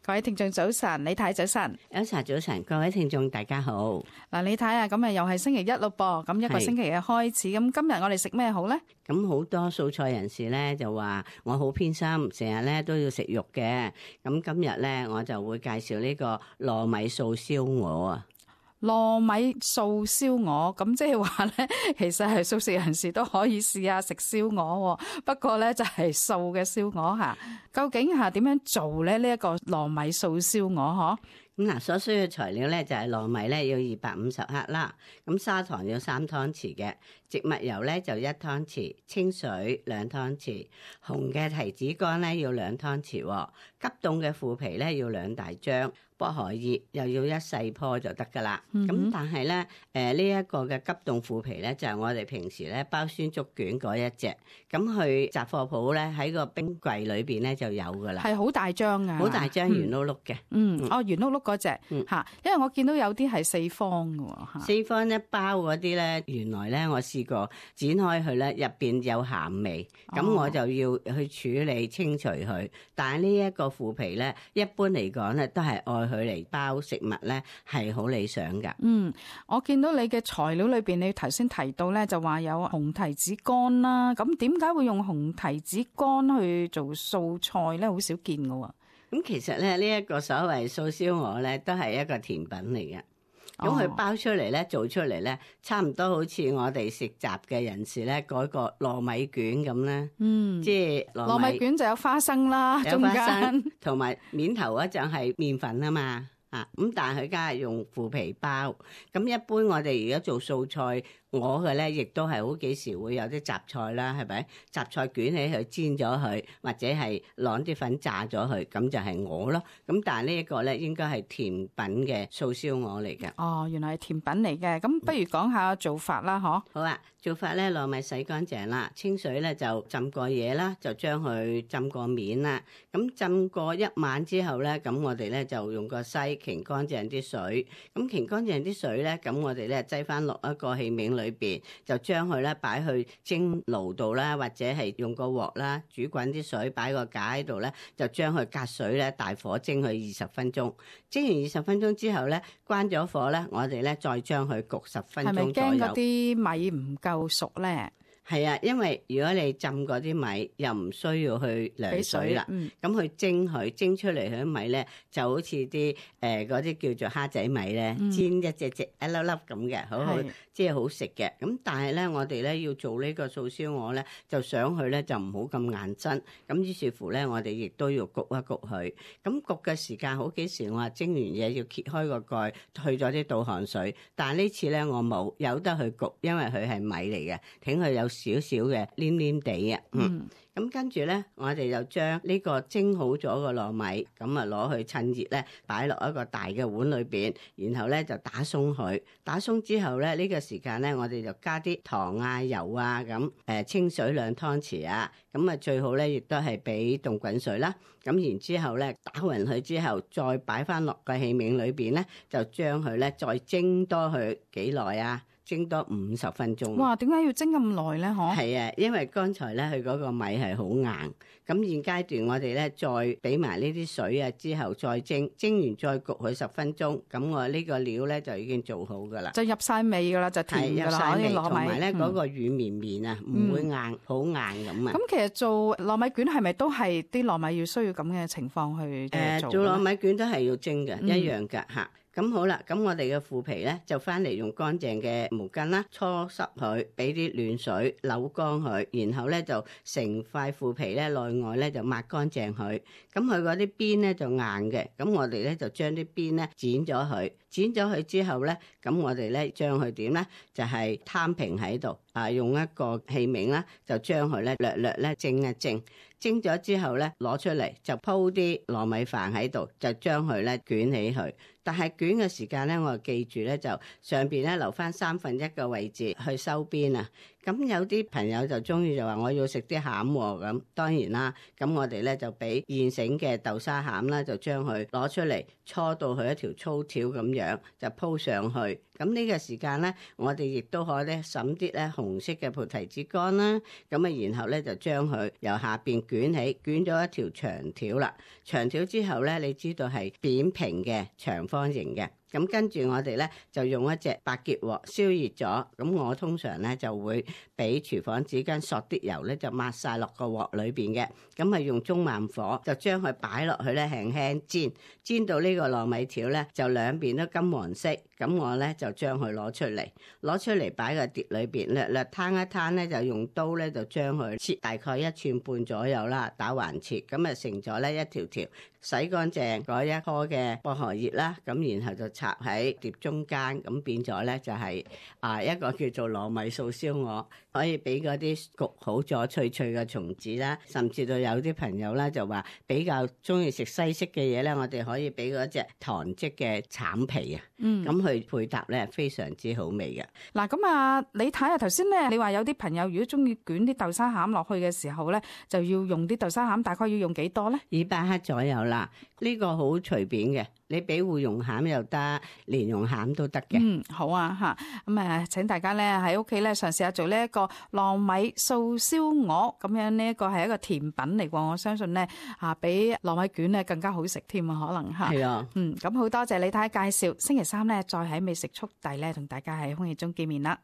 各位聽眾早晨，李太早晨。Elsa早晨，各位聽眾大家好。嗱，李太啊，咁啊又係星期一咯噃，咁一個星期嘅開始，咁今日我哋食咩好呢？咁好多素菜人士咧就話我好偏心，成日咧都要食肉嘅。咁今日咧我就會介紹呢個糯米素燒鵝啊。糯米素燒鵝，咁即係話咧，其實係素食人士都可以試下食燒鵝，不過咧就係素嘅燒鵝吓。究竟係點樣做咧？呢一個糯米素燒鵝嗬？咁嗱，所需嘅材料咧就係糯米咧要250克啦，咁砂糖要3湯匙嘅，植物油咧就1湯匙，清水2湯匙，紅嘅提子乾咧要2湯匙，急凍嘅腐皮咧要2大張，薄荷葉又要1細棵就得噶啦。咁但係咧，呢一個嘅急凍腐皮咧就係我哋平時咧包酸竹卷嗰一隻，咁去雜貨鋪咧喺個冰櫃裏邊咧就有噶啦。係好大張啊！好大張圓碌碌嘅。圓碌碌嗰隻吓，因為我見到有啲係4方嘅吓。4方一包嗰啲咧，原來咧我試過剪開佢咧，入邊有鹹味，咁我就要去處理清除佢。但係呢一個腐皮咧，一般嚟講咧都係愛佢嚟包食物咧，係好理想噶。我見到你嘅材料裏邊，你頭先提到咧就話有紅提子乾啦，咁點解會用紅提子乾去做素菜咧？好少見㗎喎。咁其實咧，呢一個所謂素燒鵝咧，都係一個甜品嚟嘅。咁佢包出嚟咧，做出嚟咧，差唔多好似我哋食雜嘅人士咧，嗰個糯米卷咁咧。即係糯米卷就有花生啦，有花生中間同埋面頭嗰陣係麵粉啊嘛。咁但係佢梗係用腐皮包。咁一般我哋而家做素菜，我嘅咧亦都係好幾時會有啲雜菜啦，係咪？雜菜捲起佢煎咗佢，或者係攞啲粉炸咗佢，咁就係鵝咯。咁但係呢一個咧應該係甜品嘅素燒鵝嚟嘅。哦，原來係甜品嚟嘅。咁不如講下做法啦，嗬？好啊，做法咧，糯米洗乾淨啦，清水咧就浸過嘢啦，就將佢浸過面啦。咁浸過一晚之後咧，咁我哋咧就用個篩擎乾淨啲水。咁擎乾淨啲水咧，咁我哋咧擠翻落一個器皿裏邊，就將佢咧擺去蒸爐度啦，或者係用個鑊啦，煮滾啲水，擺個架喺度咧，就將佢隔水咧大火蒸佢20分鐘。蒸完20分鐘之後咧，關咗火咧，我哋咧再將佢焗10分鐘左右。係咪驚嗰啲米唔夠熟咧？係啊，因為如果你浸嗰啲米又唔需要去涼水啦，咁去蒸佢蒸出嚟佢啲米咧就好似啲嗰啲叫做蝦仔米咧，煎一隻隻一粒粒咁嘅，好即係好食嘅。咁但係咧，我哋咧要做呢個素燒鵝咧，就想佢咧就唔好咁硬身。咁於是乎咧，我哋亦都要焗一焗佢。咁焗嘅時間好幾時，我話蒸完嘢要揭開個蓋，去咗啲倒汗水。但係呢次咧我冇，由得佢焗，因為佢係米嚟嘅，挺佢有少少嘅黏黏地啊。咁跟住咧，我哋就將呢個蒸好咗個糯米，咁啊攞去趁熱咧，擺落一個大嘅碗裏邊，然後咧就打鬆佢。打鬆之後咧，呢個時間咧，我哋就加啲糖啊、油啊咁，清水2湯匙啊，咁啊最好咧亦都係俾凍滾水啦。咁然之後咧，打勻佢之後，再擺翻落個器皿裏邊咧，就將佢咧再蒸多佢幾耐啊？蒸多50分鐘。哇！點解要蒸咁耐咧？嗬？係啊，因為剛才咧佢嗰個米係好硬，咁現階段我哋咧再俾埋呢啲水啊，之後再蒸，蒸完再焗佢10分鐘，咁我呢個料咧就已經做好噶啦，就入晒味噶啦，就甜噶啦，啲糯米。同埋咧嗰個軟綿綿啊，唔會硬，好硬咁啊。咁其實做糯米卷係咪都係啲糯米要需要咁嘅情況去做？做糯米卷都係要蒸嘅，一樣噶吓。咁好啦，咁我哋嘅腐皮咧就翻嚟用乾淨嘅毛巾啦，搓濕佢，俾啲暖水扭乾佢，然後咧就成塊腐皮咧內外咧就抹乾淨佢。咁佢嗰啲邊咧就硬嘅，咁我哋咧就將啲邊咧剪咗佢，剪咗佢之後咧，咁我哋咧將佢點咧就係攤平喺度。用一個器皿啦，就將佢咧略略咧蒸一蒸，蒸咗之後咧攞出嚟就鋪啲糯米飯喺度，就將佢咧捲起佢。但係捲嘅時間咧，我就記住咧就上邊咧留翻1/3嘅位置去收邊啊。咁有啲朋友就中意就話我要食啲餡喎，咁當然啦。咁我哋咧就俾現成嘅豆沙餡啦，就將佢攞出嚟搓到佢一條粗條咁樣，就鋪上去。咁呢個時間咧，我哋亦都可以咧揼啲咧紅色嘅菩提子乾啦。咁啊，然後咧就將佢由下邊捲起，捲咗一條長條啦。長條之後咧，你知道係扁平嘅長方形嘅。咁跟住我哋咧就用一隻白結鑊燒熱咗，咁我通常咧就會俾廚房紙巾索啲油咧就抹晒落個鑊裏邊嘅，咁係用中慢火就將佢擺落去咧輕輕煎，煎到呢個糯米條咧就兩邊都金黃色，咁我咧就將佢攞出嚟擺個碟裏邊，略略攤一攤咧就用刀咧就將佢切大概1寸半左右啦，打橫切，咁啊成咗咧一條條洗乾淨嗰一顆嘅薄荷葉啦，咁然後就插喺碟中間，咁變咗咧就係一個叫做糯米素燒鵝，可以俾嗰啲焗好咗脆脆嘅松子啦，甚至到有啲朋友咧就話比較中意食西式嘅嘢咧，我哋可以俾嗰隻糖漬嘅橙皮啊，咁去配搭咧非常之好味嘅。嗱，咁啊，你睇下頭先咧，你話有啲朋友如果中意捲啲豆沙餡落去嘅時候咧，就要用啲豆沙餡，大概要用幾多咧？200克左右啦，呢個好隨便嘅。你俾芋蓉餡又得，蓮蓉餡都得嘅。好啊嚇，咁請大家咧喺屋企咧嘗試下做呢一個糯米素燒鵝，咁樣呢一個係一個甜品嚟喎。我相信咧比糯米卷咧更加好食添啊，可能嚇。係啊。咁好多謝李太介紹，星期三咧再喺美食速遞咧同大家喺空氣中見面啦。